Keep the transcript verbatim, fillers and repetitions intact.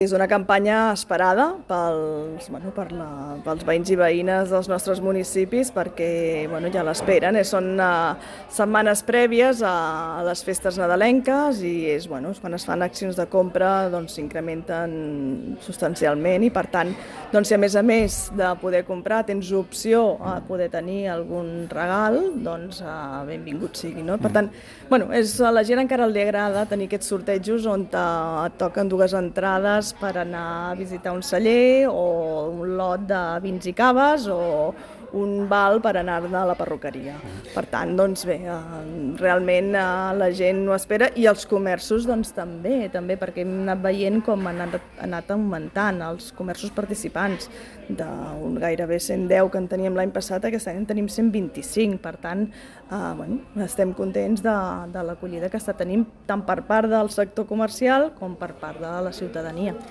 És una campanya esperada pels, bueno, per la, pels veïns i veïnes dels nostres municipis perquè bueno, ja l'esperen. Són uh, setmanes prèvies a, a les festes nadalenques i és, bueno, quan es fan accions de compra doncs, s'incrementen substancialment i per tant, doncs, si a més a més de poder comprar tens opció a poder tenir algun regal, doncs uh, benvingut sigui. No? Per tant, bueno, és, a la gent encara li agrada tenir aquests sortejos on te, et toquen dues entrades per anar a visitar un celler o un lot de vins i caves o un val per anar-ne a la perruqueria. Per tant, doncs bé, realment la gent ho espera i els comerços doncs també, també perquè hem anat veient com han anat, anat augmentant els comerços participants de un gairebé cent deu que en teníem l'any passat, aquest any en tenim cent vint-i-cinc, per tant, eh, bueno, estem contents de, de l'acollida que està tenint tant per part del sector comercial com per part de la ciutadania.